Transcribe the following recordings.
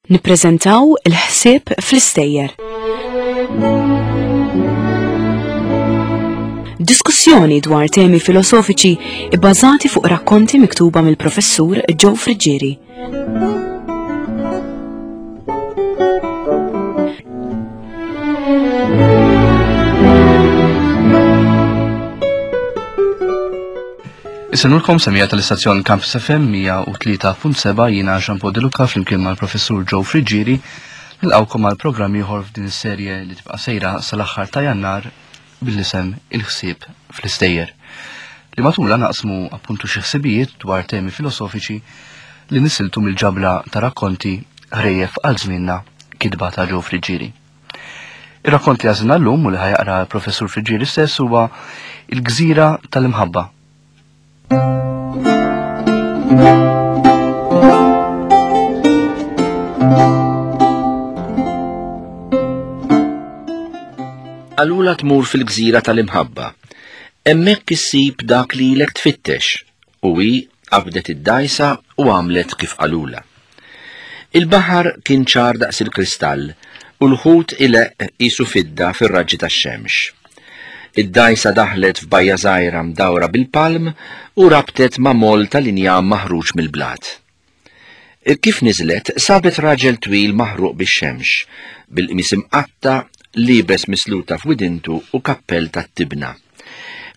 Nippreżentaw il-ħsieb fl-istejjer. Diskussjoni dwar temi filosofiċi ibbażati fuq rakkonti miktuba mill-professur Joe Friggieri. Isennulkom semija tal-istazzjon Campus FM 103.7 jiena Jean Paul De Luca flimkien mal-professur Joe Friggieri nilqawkom għal programm ieħor f'din is-serje li tibqa' sejra sal-aħħar ta' Jannar bil-isem Il-ħsieb fl-istejjer. Li matula naqsmu appuntu xi ħsibijiet dwar temi filosofiċi li nisiltu mill-ġabla ta' rakkonti ħrejjef għal żmienna kitba ta' Joe Friggieri. Ir-rakkont li għażilna llum u li ħajaqra l-professur Friggieri stess huwa Il-Gżira tal-Imħabba. Qalula tmur fil-gżira tal-imħabba. Hemmhekk issib dak li ilek tfittex. U hi qabdet id-dgħajsa u għamlet kif qalulha. Il-baħar kien ċar daqs il-kristall u l-ħut ileqq qisu fidda fir-raġġi tax-xemx. Id-dgħajsa daħlet f'bajja żgħira mdawra bil-palm u rabtet ma' moll tal-injam maħruġ mill-blat. Kif niżlet, sabet raġel twil maħruq bix-xemx, bil-qmis imqatta', liebes misluta f'widintu u kappell tat-tibna.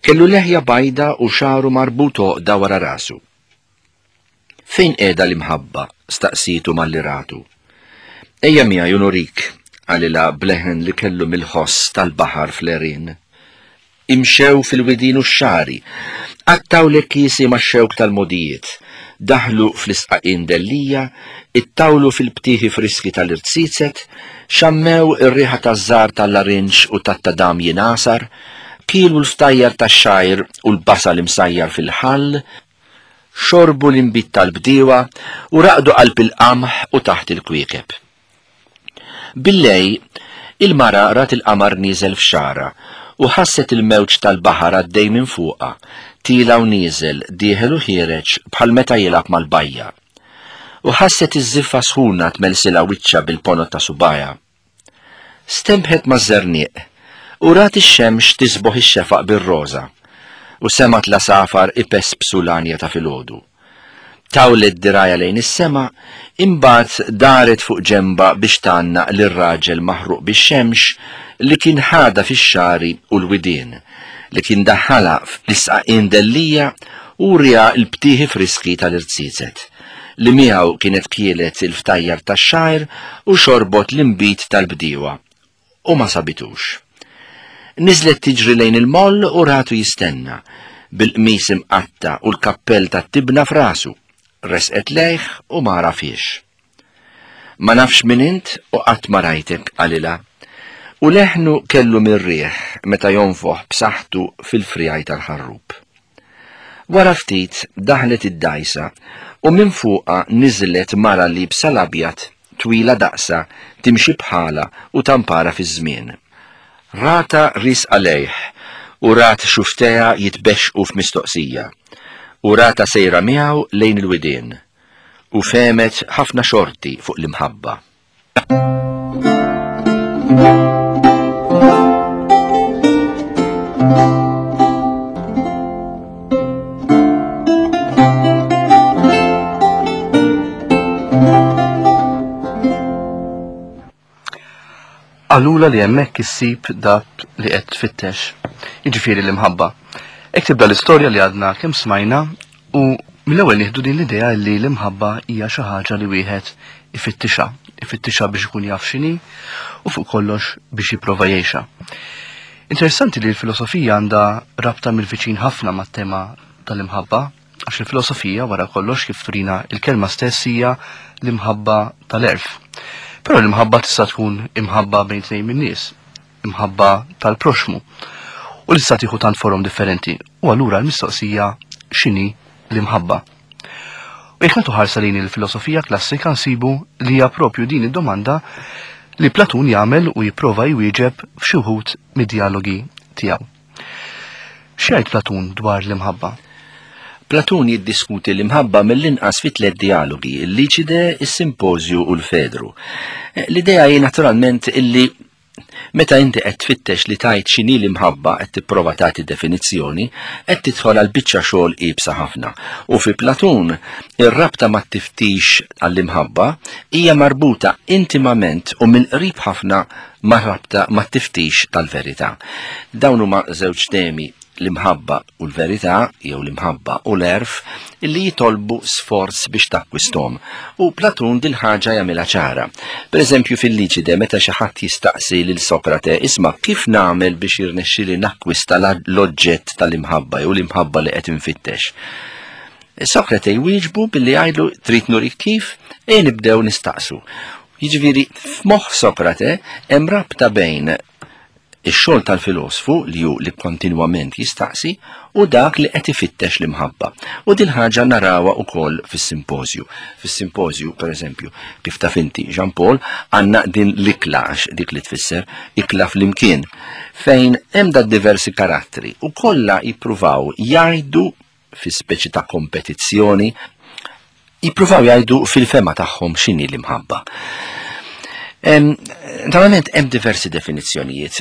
Kellu leħja bajda u xagħru marbut għoqda wara rasu. Fejn qiegħda l-imħabba? staqsietu malli ratu. Ejja miegħi u nurik, qalilha b'leħen li kellu mill-ħoss tal-baħar fl-għerien. Imxew fil-widien u x-xagħri, qattgħu l-għekiesi max-xewk tal-mogħdijiet, daħlu fl-isqaqien dellija, ittawlu fil-btieħi friski tal-irziezet, xammew ir-riħa taż-żahar tal-larinġ u tat-tadam jingħasar, kielu l-ftajjar tax-xgħir u l-basal imsajjar fil-ħall, xorbu l-inbid tal-bdiewa u raqdu qalb il-qamħ u taħt il-kwiekeb. Billejl, il-mara rat il-qamar nieżel f'xagħarha u ħasset il-mewġ tal-baħar għaddej minn fuqha, tiela' u nieżel, dieħel u ħiereġ bħal meta jilgħab mal-bajja. U ħasset iż-żiffa sħuna tmelsilha wiċċha bil-ponot ta' subgħajha. Stenbħet maż-żerniq u rat ix-xemx tisboħ ix-xefaq bir-roża u semgħet l-għasafar ipespsu l-għanja ta' filgħodu. Tawlet dirgħajha lejn is-sema, imbagħad daret fuq ġenbha biex tgħannaq lir-raġel maħruq bix-xemx li kien ħadha fix-xagħri u l-widien, li kien daħħalha fl-isqaqien dellija u wriha l-btieħi friski tal-irziezet, li miegħu kienet kielet il-ftajjar tax-xgħir u xorbot l-inbid tal-bdiewa, u ma sabitux. Niżlet tiġri lejn il-moll u ratu jistenna, bil-qmis imqatta' u l-kappell tat-tibna f'rasu. Resqet lejh u ma għarafhiex. Ma nafx min int u qatt ma rajtek, qalilha. U leħnu kellu mir-riħ meta jonfoħ b'saħħtu fil-friegħi tal-ħarrub. Wara ftit daħlet id-dgħajsa u minn fuqha niżlet mara liebsa l-abjad, twila daqsha, timxi bħalha u tampara fiż-żmien. Ratha riesqa lejh u rat xufftejha jitbexxqu f'mistoqsija u ratha sejra miegħu lejn il-widien u fehmet ħafna xorti fuq l-imħabba. Qalulha li hemmhekk issib dak li qed tfittex, jiġifieri l-imħabba. Hekk tibda l-istorja li għadna kemm smajna u mill-ewwel nieħdu din l-idea li l-imħabba hija xi ħaġa li wieħed ifittixha, ifittixha biex ikun jaf x'inhi u fuq kollox biex jipprova jgħixha. Interessanti li l-filosofija għandha rabta mill-viċin ħafna mat-tema tal-imħabba, għax il-filosofija wara kollox kif turina il-kelma stess hija l-imħabba tal-għerf. Però l-imħabba tista' tkun imħabba bejn tnejn min-nies, imħabba tal-proxmu. U li tista' tieħu tant forom differenti. U allura l-mistoqsija x'inhi l-imħabba? U jekk nagħtu ħarsa lejn il-filosofija klassika nsibu li hija propju din id-domanda li Platun jagħmel u jipprova jwieġeb f'xi wħud mid-dialogi tiegħu. X'jgħid Platun dwar l-imħabba? Platun jiddiskuti l-imħabba mill-inqas fi tliet dialogi, il-Liċide, is-Simpożju u l-Fedru. Eh, l-idea hi naturalment illi meta inti qed tfittex li tajt x'inhi l-imħabba qed tipprova tagħti definizzjoni, qed tidħol għal biċċa xogħol iebsa ħafna. U fi Platun, ir-rabta mat-tiftix għall-imħabba hija marbuta intimament u mill-qrib ħafna mar-rabta mat-tiftix tal-verità. Dawn huma żewġ temi l-imħabba u l-verità jew l-imħabba u l-għerf illi jitolbu sforz biex takkwisthom. U Platun dil-ħaġa jagħmilha ċara. Per eżempju fil-Liċide meta xi ħadd jistaqsi lil Sokrate isma' kif nagħmel biex jirnexxieli nakkwista l-oġġett tal-imħabba jew l-imħabba li qed infittex. Sokrate jwieġbu billi jgħidlu trid nurik kif e nibdew nistaqsu. Jiġifieri f'moħħ Sokrate hemm rabta bejn Ix-xogħol tal-filosfu li hu li kontinwament jistaqsi u dak li qed ifittex l-imħabba. U din ħaġa narawha wkoll fis-simpożju. Fis-simpożju, pereżempju, kif taf inti, Jean Paul, għandna din l-ikla għax dik li tfisser ikla flimkien, fejn hemm da diversi karattri u kollha jippruvaw jgħidu fi speċi ta' kompetizzjoni, jippruvaw jgħidu fil-fema tagħhom x'inhi l-imħabba. Naturalment hemm diversi definizzjonijiet.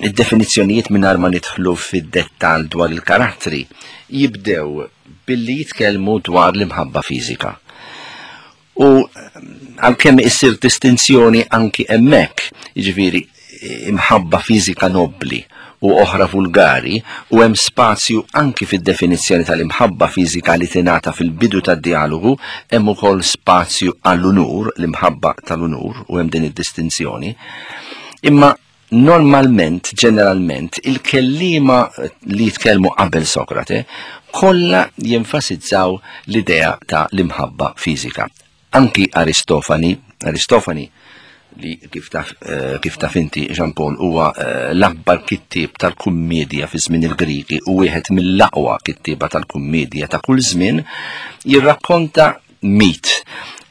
Id-definizzjonijiet mingħajr ma nidħlu fid-dettall dwar il-karattri jibdew billi jitkellmu dwar l-imħabba fiżika. U għalkemm issir distinzjoni anki hemmhekk, jiġifieri imħabba fiżika nobbli u oħra vulgari, u hemm spazju anki fid-definizzjoni tal-imħabba fiżika li tingħata fil-bidu tad-djalogu, hemm ukoll spazju għall-unur, l-imħabba tal-unur, u hemm din id-distinzjoni. Imma Normalment, ġeneralment, il-kelliema li jitkellmu qabel Sokrate kollha jenfasizzaw l-idea ta' l-imħabba fiżika. Anki Aristofani, Aristofani li kif taf, eh, kif taf inti Jean Paul huwa eh, l-akbar kittieb tal-kummedja fi żmien il-Griki u wieħed mill-aqwa kittieba tal-kummedja ta' kull żmien, jirrakkonta mit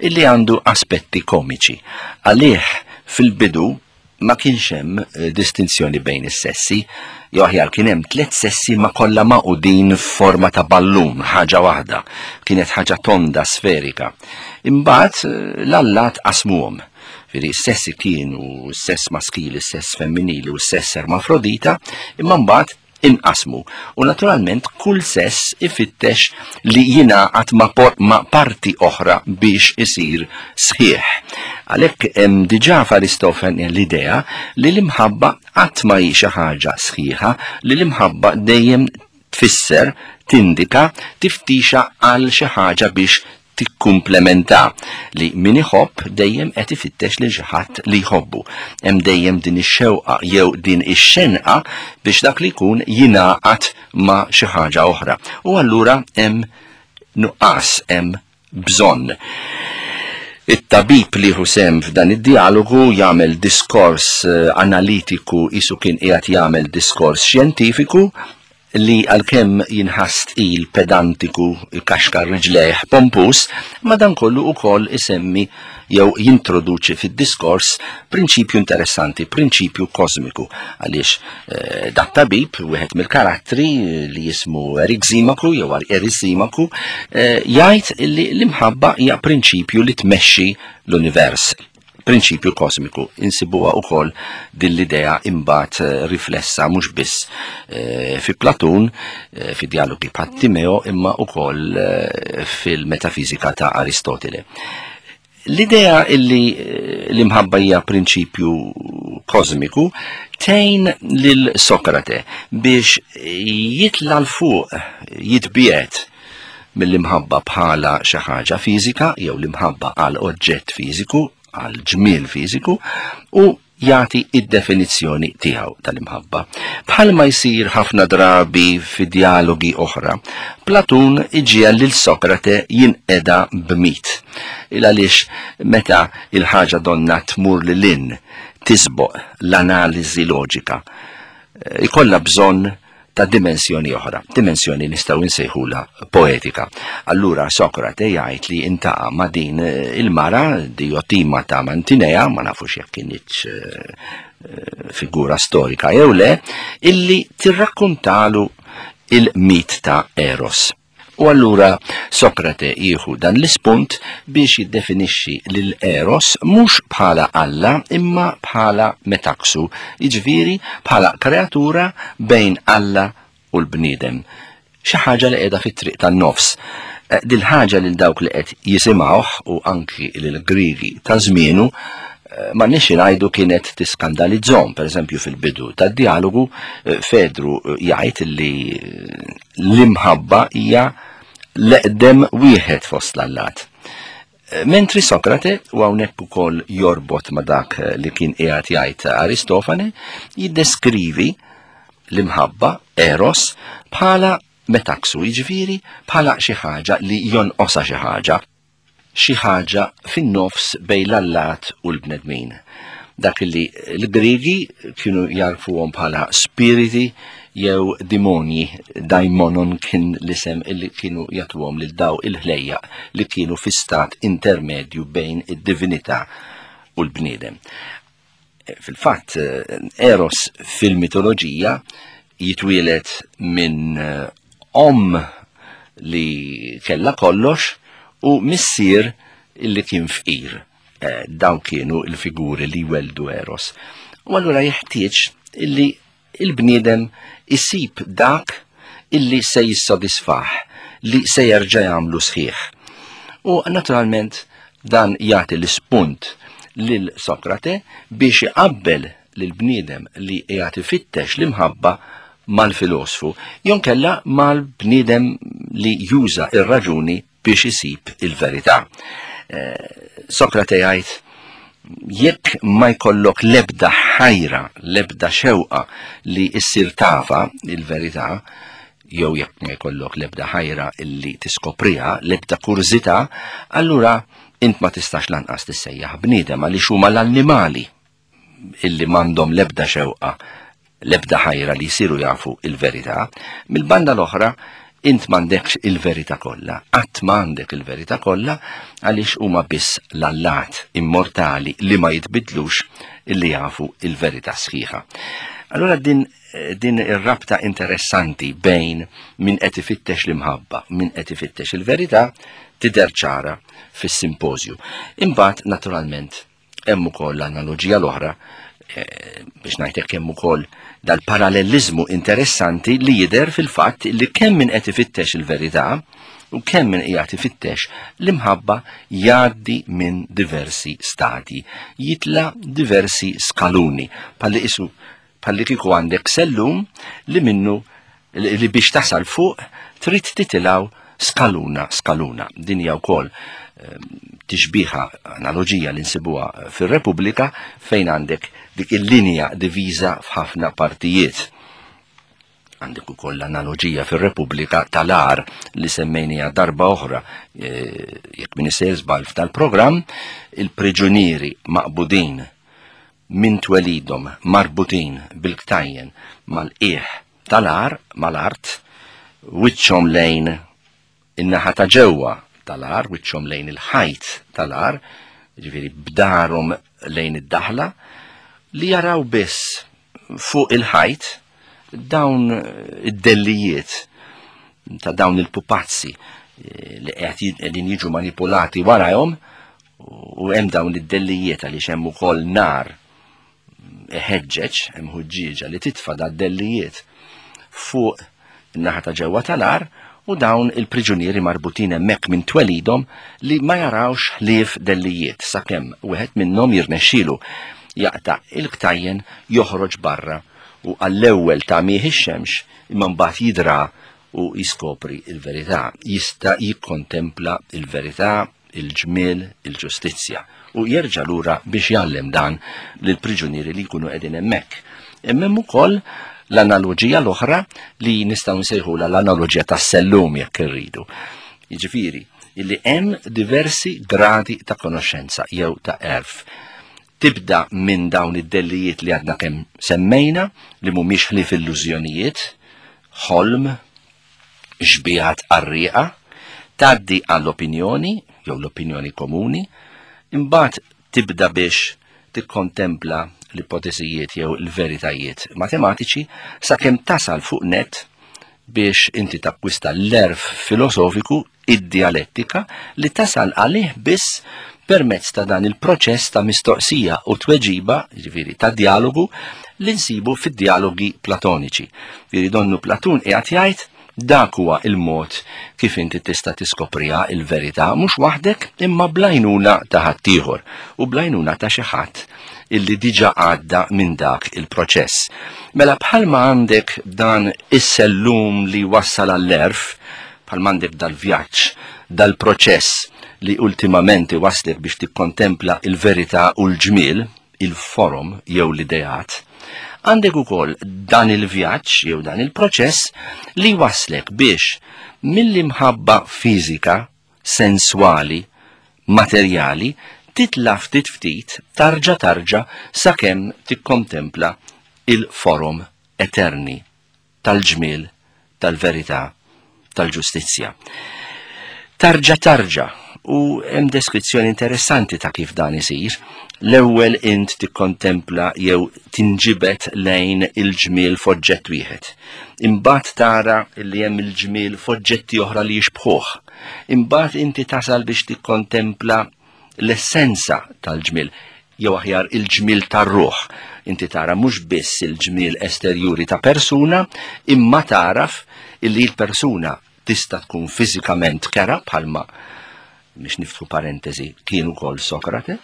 illi għandu aspetti komiċi. Għalih fil-bidu ma kienx hemm eh, distinzjoni bejn is-sessi, jew aħjar kien hemm tliet sessi ma kollha magħqudin f'forma ta' ballun, ħaġa waħda, kienet ħaġa tonda sferika. Imbagħad eh, l-allat qasmuhom. Firri s-sessi kienu s-sess maskili, s-sess femminili u s-sess ermafrodita, imma mbagħad inqasmu u naturalment kull sess ifittex li jingħaqad ma', ma parti oħra biex isir sħiħ. Għalhekk hemm diġà f'Aristofane l-idea li l-imħabba qatt ma hi xi ħaġa sħiħa, li l-imħabba dejjem tfisser, tindika, tiftixa għal xi ħaġa biex tikkumplementa li min iħobb dejjem qed ifittex lil xi ħadd li jħobbu. Hemm dejjem din ix-xewqa jew din ix-xenqa biex dak li jkun jingħaqad ma' xi ħaġa oħra. U allura hemm nuqqas, hemm bżonn. It-tabib li jieħu sehem f'dan id-djalogu jagħmel diskors eh, analitiku qisu kien qiegħed jagħmel diskors xjentifiku li għalkemm jinħass tqil, pedantiku, ikaxkar riġlejh, pompuż, madankollu ukoll isemmi jew jintroduċi fid-diskors prinċipju interessanti, prinċipju kosmiku, għaliex eh, dat-tabib, wieħed mill-karattri li jismu Eriximaku jew Erisimaku, eh, jgħid li l-imħabba hija prinċipju li tmexxi l-univers. Prinċipju kosmiku. Insibuha wkoll din l-idea imbagħad eh, riflessa mhux biss eh, fi Platun, eh, fi dialogi bħat Timeo, imma wkoll fil-metafiżika ta' Aristotele. L-idea illi l-imħabba hija prinċipju kosmiku tgħin lil Sokrate biex jitla' l fuq jitbiet mill-imħabba bħala xi ħaġa fiżika jew l-imħabba għal oġġett fiżiku, għal ġmiel fiżiku u jagħti id-definizzjoni tiegħu tal-imħabba. Bħalma jsir ħafna drabi fi dialogi oħra, Platun iġiegħel lil Sokrate jinqeda b'mit. Il għaliex meta il-ħaġa donna tmur lil hinn tisboq l-analiżi loġika, ikollha bżonn ta' dimensjoni oħra, dimensjoni nistgħu nsejħulha poetika. Allura Sokrate jgħid li intaqa' ma' din eh, il-mara Diotima ta' Mantinea, ma nafux jekk kinitx eh, eh, figura storika jew le, illi tirrakkontalu il-mit ta' Eros. U allura Sokrate jieħu dan l-ispunt biex jiddefinixxi lil Eros mhux bħala Alla imma bħala metaxu, jiġifieri bħala kreatura bejn Alla u l-bniedem. Xi ħaġa li qiegħda fit-triq tan-nofs. Eh, dil-ħaġa lil dawk li qed jisimgħuh u anki lil Griegi ta' żmienu eh, ma nix ngħidu kienet tiskandalizzhom, pereżempju fil-bidu tad-dialogu eh, Fedru jgħid li l-imħabba hija l-eqdem wieħed fost l-allat. Mentri Sokrate, u hawnhekk ukoll jorbot ma' dak li kien qiegħed jgħid Aristofane, jiddeskrivi l-imħabba, eros, bħala metaxu, jiġifieri bħala xi ħaġa li jonqosha xi ħaġa, xi ħaġa fin-nofs bejn l-allat u l-bnedmin. Dak li l-Griegi kienu jarfuhom bħala spiriti jew dimonji, daimonon kien l-isem illi kienu jagħtuhom lil daw il-ħlejjaq li kienu fi stat intermedju bejn id-divinità u l-bniedem. Fil-fatt, Eros fil-mitoloġija jitwielet minn eh, omm li kella kollox u missier illi kien fqir. Eh, dawn kienu l-figuri li weldu Eros. U allura jeħtieġ illi il-bniedem isib dak illi se jissodisfah, li se jerġa' jagħmlu sħiħ. U naturalment dan jagħti l-ispunt lil Sokrate biex iqabbel lil bniedem li qiegħed ifittex l-imħabba mal-filosfu, jonkella mal-bniedem li juża ir-raġuni biex isib il-verità. Eh, Sokrate jgħid jekk ma jkollok lebda ħajra, lebda xewqa li issir tafa il-verità, jew jekk ma jkollok lebda ħajra illi tiskopriha, lebda kurżità, allura int ma tistax lanqas tissejjaħ bniedem għaliex huma l-annimali illi m'għandhom l-ebda xewqa, l-ebda ħajra li jsiru jafu il-verità, mill-banda l-oħra int m'għandekx il-verità kollha, qatt m'għandek il-verità kollha għaliex huma biss l-allat immortali li ma jitbidlux illi jafu il-verità sħiħa. Allura din din ir-rabta interessanti bejn min qed ifittex l-imħabba, min qed ifittex il-verità tidher ċara fis-simpożju. Imbagħad naturalment Hemm ukoll l-analoġija l-oħra eh, biex ngħidlek hemm ukoll dal-paralleliżmu interessanti li jidher fil-fatt li kemm min qed ifittex il-verità u kemm min qiegħed ifittex l-imħabba jgħaddi minn diversi stadji, jitla diversi skaluni, bħalli isu bħalli kieku għandek sellum li minnu li biex tasal fuq trid titilgħu skaluna skaluna. Din hija wkoll ehm, tixbiha analoġija li nsibuha fir-Repubblika fejn għandek dik il-linja diviża f'ħafna partijiet. Għandek ukoll l-analoġija fir-Repubblika tal-ar li semmejnija darba oħra eh, jekk min isejjer żball f'dal-programm, il-priġunieri maqbudin minn twelidhom marbutin bil-ktajjen mal-qiegħ tal-għar mal-art, wiċċhom lejn in-naħa ta' ġewwa tal-għar, wiċċhom lejn il-ħajt tal-għar, ġifieri b'darhom lejn id-daħla, li jaraw biss fuq il-ħajt dawn id-dellijiet ta' dawn il-pupazzi eh, li qegħdin jiġu manipulati warajhom u hemm dawn id-dellijiet għaliex hemm ukoll nar iħeġġeġ, hemm ħuġġieġa li titfa' da dellijiet fuq in-naħa ta' ġewwa tal-ar u dawn il-priġunieri marbutin hemmhekk minn twelidhom li ma jarawx ħlief dellijiet sakemm wieħed minnhom jirnexxielu jaqta' il-ktajjen joħroġ barra u għall-ewwel tagħmih ix-xemx imma mbagħad jidra u jiskopri il-verità, jista' jikkontempla il-verità il-ġmiel, il-ġustizzja, u jerġa' lura biex jgħallem dan lill-priġunieri li jkunu qegħdin hemmhekk. Imma hemm ukoll l-analoġija l-oħra li nistgħu nsejħulha l-analoġija tas-sellum jekk irridu. Jiġifieri, illi hemm diversi gradi ta' konoxxenza jew ta' għerf. Tibda minn dawn id-dellijiet li għadna kemm semmejna li mhumiex ħlief illużjonijiet, ħolm, xbihat qarrieqa, tgħaddi għall-opinjoni jew l-opinjoni komuni, imbagħad tibda biex tikkontempla l-ipotesijiet jew l-veritajiet matematiċi sakemm tasal fuq net biex inti takkwista l-għerf filosofiku, id-djalettika, li tasal għalih biss permezz ta' dan il-proċess ta' mistoqsija u tweġiba, jiġifieri ta' djalogu, li nsibu fid-djalogi Platoniċi. Jiġifieri donnu Platun qiegħed jgħid dak huwa il-mod kif inti tista' tiskopriha il-verità mhux waħdek imma bl-għajnuna ta' ħaddieħor u bl-għajnuna ta' xi ħadd illi diġà għadda minn dak il-proċess. Mela bħalma għandek dan is-sellum li wassal għall-għerf, bħalma għandek dal-vjaġġ, dal-proċess li ultimament iwasslek biex tikkontempla il-verità u l-ġmiel, il-forom jew l-ideat, għandek ukoll dan il-vjaġġ jew dan il-proċess li jwasslek biex mill-imħabba fiżika, senswali, materjali, titla' ftit ftit, tarġa' tarġa' sakemm tikkontempla il-forom eterni tal-ġmiel, tal-verità, tal-ġustizzja. Tarġa' tarġa' u hemm deskrizzjoni interessanti ta' kif dan isir. L-ewwel int tikkontempla jew tinġibed lejn il-ġmiel f'oġġett wieħed. Imbagħad tara li hemm il-ġmiel f'oġġetti oħra li jixbħuh. Imbagħad inti tasal biex tikkontempla l-essenza tal-ġmiel, jew aħjar il-ġmiel tar-ruħ. Inti tara mhux biss il-ġmiel esterjuri ta' persuna, imma taraf illi l-persuna tista' tkun fiżikament kera bħalma biex niftħu parentesi kien ukoll Sokrate,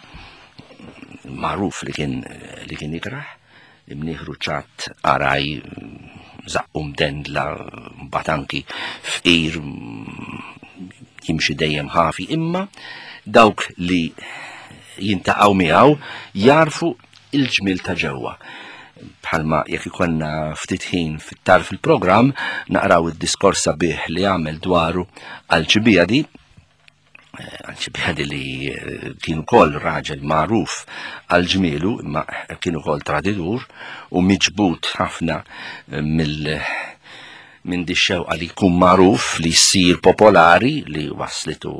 magħruf li kien li kien ikrah, imnieħru ċatt araj, żaqqu mdendla, mbagħad anki fqir jimxi dejjem ħafi, imma dawk li jintaqgħu miegħu jarfu il-ġmiel ta' ġewwa. Bħalma jekk ikollna ftit ħin fit-tarf il-programm naqraw id-diskors sabiħ li għamel dwaru Alċibijadi, eh, Alċibijadi li eh, kien ukoll raġel magħruf għal ġmielu, imma kien ukoll traditur u miġbud ħafna eh, mill minn di xewqa li jkun magħruf li jsir popolari li waslitu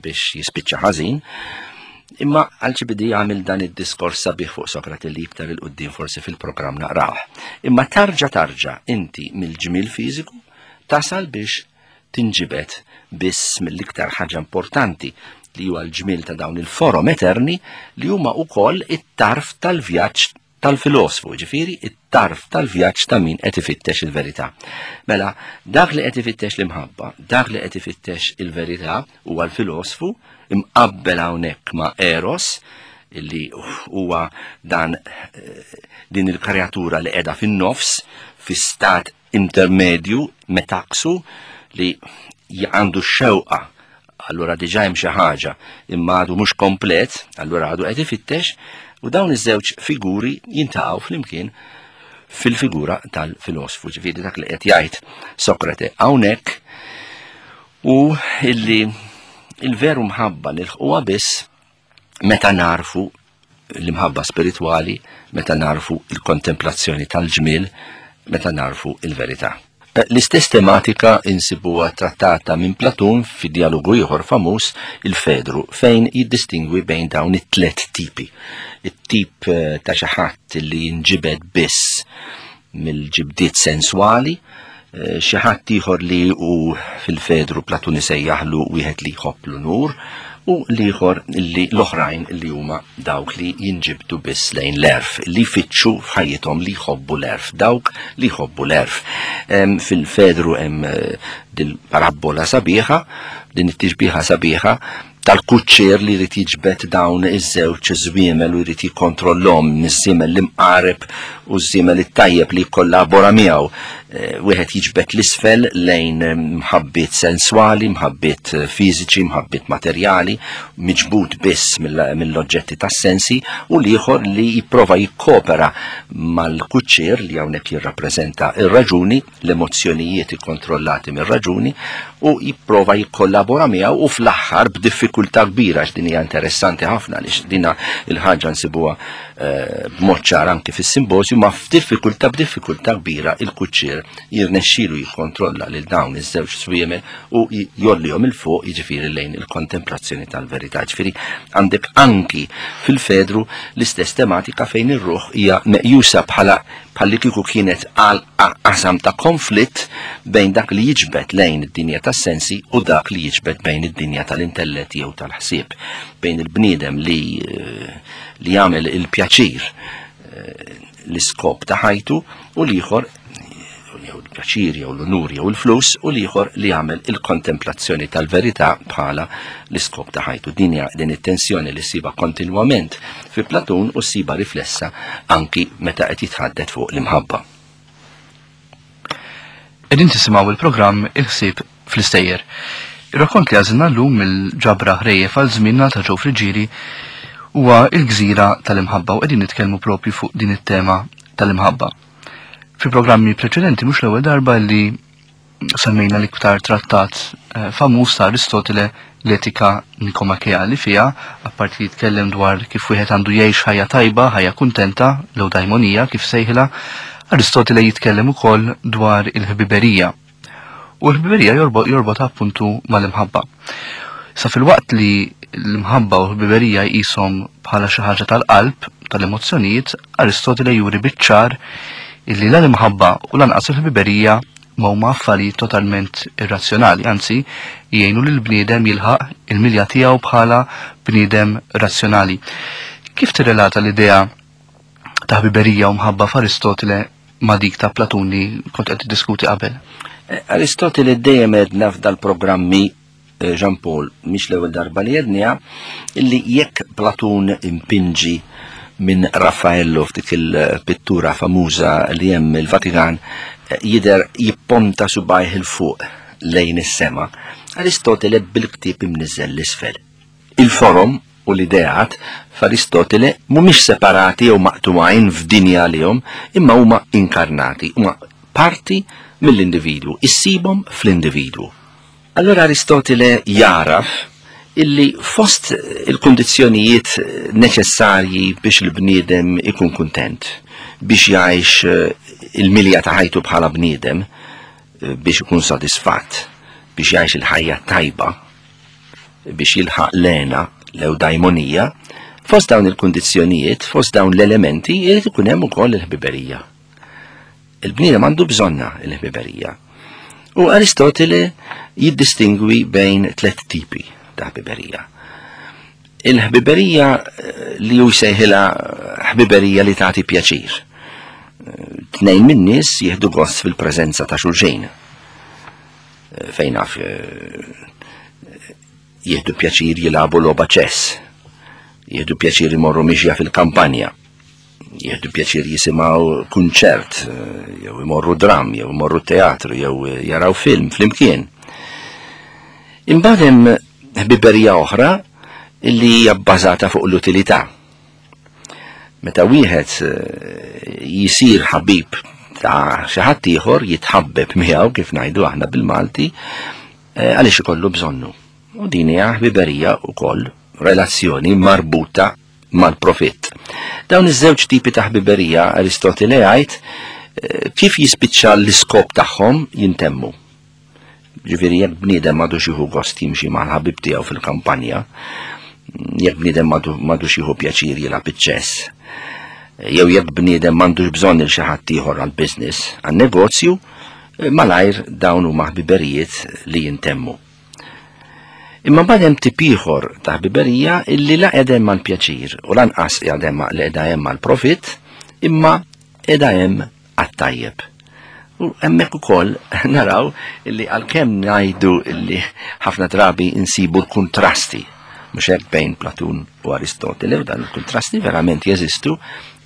biex jispiċċa ħażin. Imma Alċibidi għamil dan id-diskors sabiħ fuq Sokrate li iktar il-qoddim forsi fil-programm naqrawh. Imma tarġa tarġa inti mill-ġmil fiżiku tasal biex tinġibed biss mill-iktar ħaġa importanti li huwa l-ġmil ta' dawn il-forom eterni li huma wkoll it-tarf tal-vjaġġ tal-filosfu, ġifieri it-tarf tal-vjaġġ ta' min qed ifittex il-verità. Mela, dak li qed ifittex l-imħabba, dak li qed ifittex il-verità huwa l-filosfu imqabbel hawnhekk ma' Eros, illi huwa dan eh, din il-kreatura li qiegħda fin-nofs fi stat intermedju metaksu li għandu x-xewqa allura diġà hemm xi ħaġa imma għadu mhux komplet, allura għadu qed ifittex u dawn iż-żewġ figuri jintaqgħu flimkien fil-figura tal-filosfu, ġifieri dak li qed jgħid Sokrate hawnhekk u illi il-veru mħabba nilħquha biss meta narfu l-imħabba spiritwali, meta narfu il-kontemplazzjoni tal-ġmiel, meta narfu il-verità. Eh, l-istess tematika insibuha trattata minn Platun fi dialogu ieħor famuż il-Fedru fejn jiddistingwi bejn dawn it-tlet tipi. It-tip eh, ta' xi ħadd li jinġibed biss mill-ġibdiet senswali, eh, xi ħadd ieħor li hu fil-Fedru Platun isejjaħlu wieħed li jħobb l-unur u l-ieħor li l-oħrajn li huma dawk li jinġibdu biss lejn l-erf, li jfittxu f'ħajjithom li jħobbu l-erf, dawk li jħobbu l-erf. Fil-Fedru hemm eh, dil-parabbola sabiħa, din it-tixbiħa sabiħa tal-kuċċier li jrid jiġbed dawn iż-żewġ żwiemel u jrid jikkontrollhom miż-żiemel l-imqareb u ż-żiemel it-tajjeb li jikkollabora miegħu. Eh, wieħed jiġbed l-isfel lejn eh, mħabbiet senswali, mħabbiet eh, fiżiċi, mħabbiet materjali, miġbud biss mill-oġġetti tas-sensi u l-ieħor li jipprova jikkopera mal-kuċċier li hawnhekk jirrappreżenta ir-raġuni l-emozzjonijiet ikkontrollati mir-raġuni u jipprova jikkollabora miegħu u fl-aħħar b'diffikultà kbira għax din hija interessanti ħafna għaliex dina il-ħaġa nsibuha eh, b'mod ċar anki fis-simpożju ma f'diffikultà b'diffikultà kbira il-kuċċier jirnexxielu jikkontrolla lil dawn iż-żewġ swiemel u jollihom il fuq jiġifieri lejn il-kontemplazzjoni tal-verità. Ġifieri għandek anki fil-Fedru l-istess tematika fejn ir-ruħ hija meqjusa bħala bħalli kieku kienet għal qasam ta' konflitt bejn dak li jiġbed lejn id-dinja tas-sensi u dak li jiġbed bejn id-dinja tal-intellett jew tal-ħsieb, bejn il-bniedem li eh, li jagħmel il-pjaċir eh, l-iskop ta' ħajtu u l-ieħor jew il-pjaċir jew l-unur jew il-flus u l-ieħor li jagħmel il-kontemplazzjoni tal-verità bħala l-iskop ta' ħajtu. Din hija din it-tensjoni li ssiba kontinwament fi Platun u ssiba riflessa anki meta qed jitħaddet fuq l-imħabba. Qegħdin tisimgħu il-programm Il-ħsieb fl-istejjer. Ir-rakkont li għażilna llum mill-ġabra ħrejjef għal żmienna ta' Joe Friggieri huwa il-gżira tal-imħabba u qegħdin nitkellmu propju fuq din it-tema tal-imħabba. Fi programmi preċedenti mhux l-ewwel darba li semmejna l-iktar trattat eh, famuż ta' Aristotele l-etika nikomakea li fiha, apparti li jitkellem dwar kif wieħed għandu jgħix ħajja tajba, ħajja kuntenta, l-eudaimonija kif sejħilha, Aristotele jitkellem ukoll dwar il-ħbiberija. U l-ħbiberija jorbot appuntu mal-imħabba. Sa fil-waqt li l-imħabba u l-ħbiberija jqishom bħala xi ħaġa tal-qalb, tal-emozzjonijiet, Aristotele juri biċ-ċar illi la l-imħabba u lanqas il-ħbiberija ma huma affarijiet totalment irrazzjonali, anzi jgħinu lil bniedem jilħaq il-milja tiegħu bħala bniedem razzjonali. Kif tirrelata l-idea ta' ħbiberija u mħabba f'Aristotele ma' dik ta' Platun li kont qed tiddiskuti qabel? Eh, Aristotele dejjem għedna f'dal-programmi eh, Jean Paul, mhix l-ewwel darba li għedniha, illi jekk Platun impinġi minn Raffaello f'dik il-pittura famuża li hemm il-Vatikan eh, jidher jipponta subajh il fuq lejn is-sema, Aristotele bil-ktieb imniżżel l-isfel. Il-forom u l-ideat f'Aristotele mhumiex separati jew maqtugħin f'dinja għalihom, imma huma inkarnati, huma parti mill-individwu, issibhom fl-individwu. Allura Aristotele jagħraf illi fost il-kundizzjonijiet neċessarji biex il-bniedem ikun kuntent, biex jgħix eh, il-milja ta' ħajtu bħala bniedem, eh, biex ikun sodisfatt, biex jgħix il-ħajja tajba, biex jilħaq l-hena, l-ewdajmonija, fost dawn il-kundizzjonijiet, fost dawn l-elementi, jrid ikun hemm ukoll il-ħbiberija. Il-bniedem għandu bżonna il-ħbiberija. U Aristotele jiddistingwi bejn tliet tipi ta' ħbiberija. Il-ħbiberija eh, li hu jsejħilha ħbiberija li tagħti pjaċir. Eh, tnejn min-nies jieħdu gost fil-preżenza ta' xulxin. Eh, fejn naf eh, jieħdu pjaċir jilagħbu logħba ċess, jieħdu pjaċir imorru mixja fil-kampanja, jieħdu pjaċir jisimgħu kunċert, eh, jew imorru dram, jew imorru teatru, jew jaraw film flimkien. Imbagħad hemm ħbiberija oħra illi hija bbażata fuq l-utilità. Meta wieħed eh, jisir ħabib ta' xi ħadd ieħor jitħabbeb miegħu kif ngħidu aħna bil-Malti eh, għaliex ikollu bżonnu. U din hija ħbiberija wkoll relazzjoni marbuta mal-profitt. Dawn iż-żewġ tipi ta' ħbiberija Aristotele jgħid eh, kif jispiċċa l-iskop tagħhom jintemmu. Ġifieri jekk bniedem m'għadux jieħu gost jimxi mal-ħabib tiegħu fil-kampanja, jekk bniedem m'għadux jieħu pjaċir jilgħab iċ-ċess, jew jekk bniedem m'għandux bżonn il xi ħadd ieħor għall-business, għan-negozju, malajr dawn huma ħbiberijiet li jintemmu. Imma mbagħad hemm tip ieħor ta' ħbiberija illi la qiegħda hemm għall-pjaċir u lanqas qiegħda hemm li qiegħda hemm għall-profitt, imma qiegħda hemm għat-tajjeb. U hemmhekk ukoll naraw illi għalkemm ngħidu illi ħafna drabi insibu l-kuntrasti mhux hekk bejn Platun u Aristotele u dan il-kuntrasti verament jeżistu,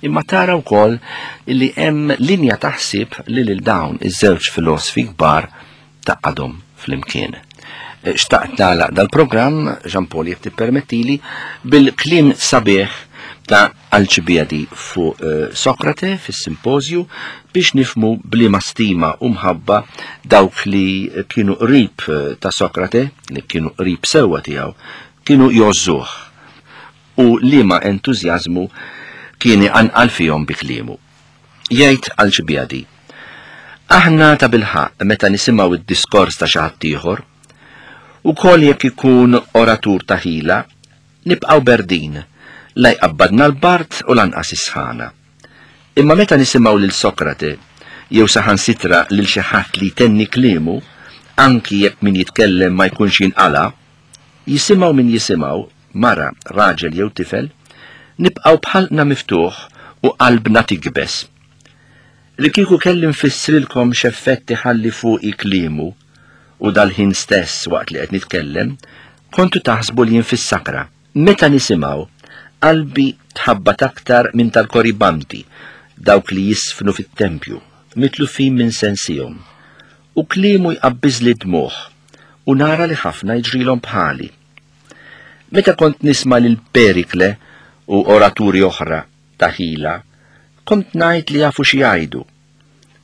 imma tara wkoll illi hemm linja ta' ħsieb li lil dawn iż-żewġ filosfi kbar taqadhom flimkien. Eh, xtaqt nagħlaq dal-programm, Jean Paul jekk tippermettili, bil-kliem sabiħ ta' Alċibiadi fuq eh, Sokrate fis-simpożju biex nifmu bliema stima u mħabba dawk li kienu qrib eh, ta' Sokrate, li kienu qrib sewwa tiegħu, kienu jgħożżuh u liema entużjażmu Kien iqanqal fihom bi kliemu. Jgħid Alċibjadi, Aħna tabilħaqq meta nisimgħu d-diskors ta' xi ħadd ieħor, ukoll jekk ikun oratur ta' ħila, nibqgħu berdin, la jqabbadna l-bard u lanqas is-sħana. Imma meta nisimgħu lil Sokrate, jew saħansitra lil xi ħadd li jtenni kliemu, anki jekk min jitkellem ma jkunx jinqala', jisimgħu min jisimgħu, mara, raġel jew tifel, nibqgħu b'ħalqna miftuħ u qalbna tikbes. Li kieku kelli nfissrilkom x'effett iħalli fuqi kliemu, u dal-ħin stess waqt li qed nitkellem, kontu taħsbu li jien fis-sakra. Meta nisimgħu, qalbi tħabbat aktar minn tal-koribanti, dawk li jiżfnu fit-tempju, mitlufin minn sensihom. U kliemu jqabbiżli d-dmugħ, u nara li ħafna jiġrilhom bħali. Meta kont nisma' lil Perikle u oraturi oħra ta' ħila, kont ngħid li jafu xi jgħidu.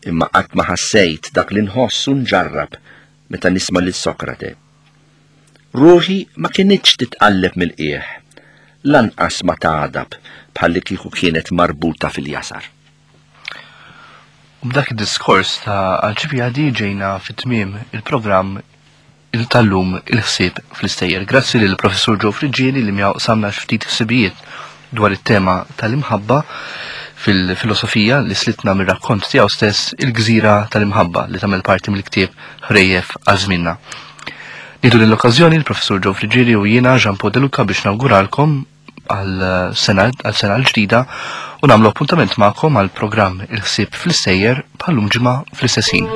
Imma qatt ma ħassejt dak li nħoss u nġarrab meta nisma' lil Sokrate. Ruħi ma kinitx titqalleb mill-qiegħ, lanqas ma tagħdab bħallikieku kienet marbuta fil-jasar. U b'dak id-diskors ta' Alċibjadi ġejna fi tmiem il-programm tal-lum il-ħsieb fl-istejjer. Grazzi lil Professur Joe Friggieri li miegħu qsamna ftit ħsibijiet dwar it-tema tal-imħabba fil-filosofija li slitna mir-rakkont tiegħu stess il-gżira tal-imħabba li tagħmel parti mill-ktieb Ħrejjef għal żmienna. Nieħdu din l-okkażjoni l-Professur Joe Friggieri u jiena Jean Paul De Luca biex nawguralkom għal sena għal sena l-ġdida u nagħmlu appuntament magħkom għal programm il-ħsieb fl-istejjer bħallum ġimgħa fl-istess ħin.